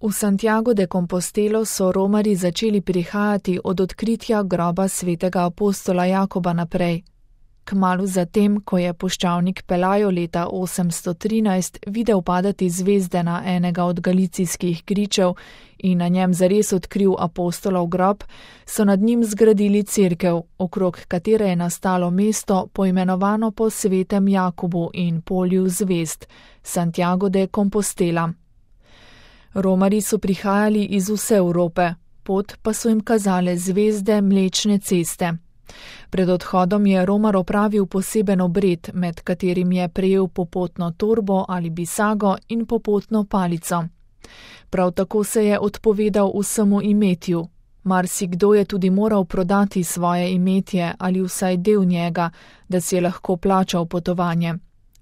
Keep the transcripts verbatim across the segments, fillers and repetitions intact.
V Santiago de Compostelo so romarji začeli prihajati od odkritja groba svetega apostola Jakoba naprej. Kmalu zatem, ko je puščavnik Pelayo leta osemsto trinajst videl padati zvezde na enega od galicijskih gričev in na njem zares odkril apostolov grob, so nad njim zgradili cerkev, okrog katere je nastalo mesto poimenovano po svetem Jakobu in polju zvezd, Santiago de Compostela. Romarji so prihajali iz vse Evrope, pot pa so jim kazale zvezde Mlečne ceste. Pred odhodom je Romar opravil poseben obred, med katerim je prejel popotno torbo ali bisago in popotno palico. Prav tako se je odpovedal vsemu imetju. Marsikdo je tudi moral prodati svoje imetje ali vsaj del njega, da si je lahko plačal potovanje.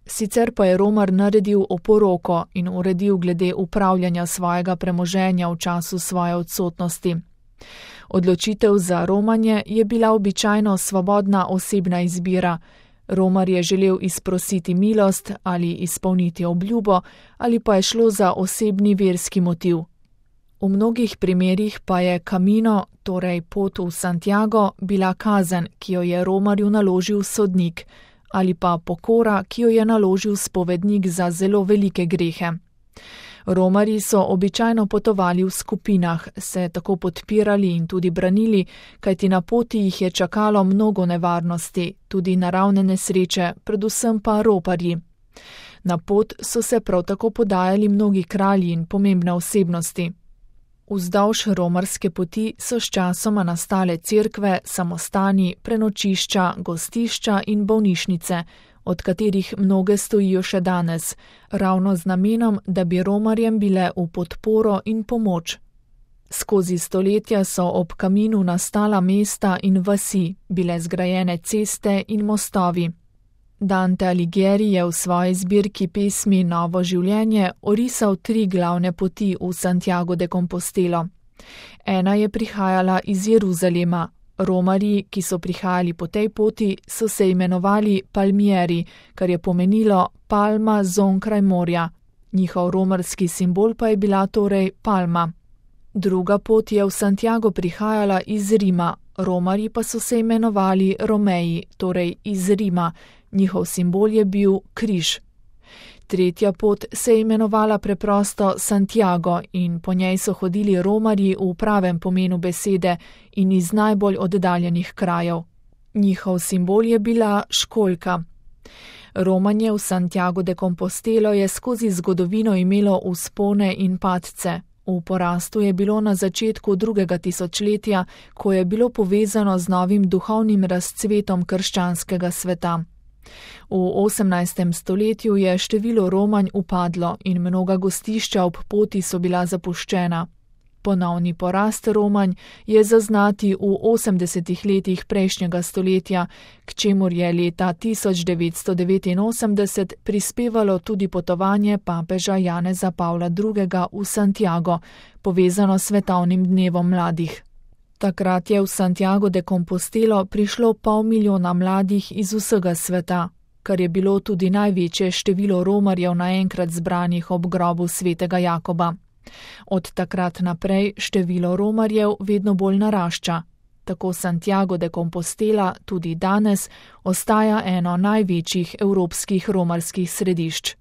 Sicer pa je Romar naredil oporoko in uredil glede upravljanja svojega premoženja v času svoje odsotnosti. Odločitev za romanje je bila običajno svobodna osebna izbira. Romar je želel izprositi milost ali izpolniti obljubo, ali pa je šlo za osebni verski motiv. V mnogih primerih pa je Camino, torej pot v Santiago, bila kazen, ki jo je Romarju naložil sodnik, ali pa pokora, ki jo je naložil spovednik za zelo velike grehe. Romarji so običajno potovali v skupinah, se tako podpirali in tudi branili, kajti na poti jih je čakalo mnogo nevarnosti, tudi naravne nesreče, predvsem pa roparji. Na pot so se prav tako podajali mnogi kralji in pomembne osebnosti. Vzdolž romarske poti so sčasoma nastale cerkve, samostani, prenočišča, gostišča in bolnišnice, od katerih mnoge stojijo še danes, ravno z namenom, da bi romarjem bile v podporo in pomoč. Skozi stoletja so ob Caminu nastala mesta in vasi, bile zgrajene ceste in mostovi. Dante Alighieri je v svoji zbirki pesmi Novo življenje orisal tri glavne poti v Santiago de Compostelo. Ena je prihajala iz Jeruzalema. Romarji, ki so prihajali po tej poti, so se imenovali Palmieri, kar je pomenilo palma zonkraj morja. Njihov romarski simbol pa je bila torej palma. Druga pot je v Santiago prihajala iz Rima. Romarji pa so se imenovali Romeji, torej iz Rima. Njihov simbol je bil križ. Tretja pot se je imenovala preprosto Santiago in po njej so hodili romarji v pravem pomenu besede in iz najbolj oddaljenih krajev. Njihov simbol je bila školjka. Romanje v Santiago de Compostelo je skozi zgodovino imelo vzpone in padce. V porastu je bilo na začetku drugega tisočletja, ko je bilo povezano z novim duhovnim razcvetom krščanskega sveta. V osemnajstem stoletju je število romanj upadlo in mnoga gostišča ob poti so bila zapuščena. Ponovni porast romanj je zaznati v osemdesetih letih prejšnjega stoletja, k čemur je leta tisoč devetsto devetinosemdeset prispevalo tudi potovanje papeža Janeza Pavla drugega. v Santiago, povezano s svetovnim dnevom mladih. Takrat je v Santiago de Compostelo prišlo pol milijona mladih iz vsega sveta, kar je bilo tudi največje število romarjev naenkrat zbranih ob grobu svetega Jakoba. Od takrat naprej število romarjev vedno bolj narašča. Tako Santiago de Compostela tudi danes ostaja eno največjih evropskih romarskih središč.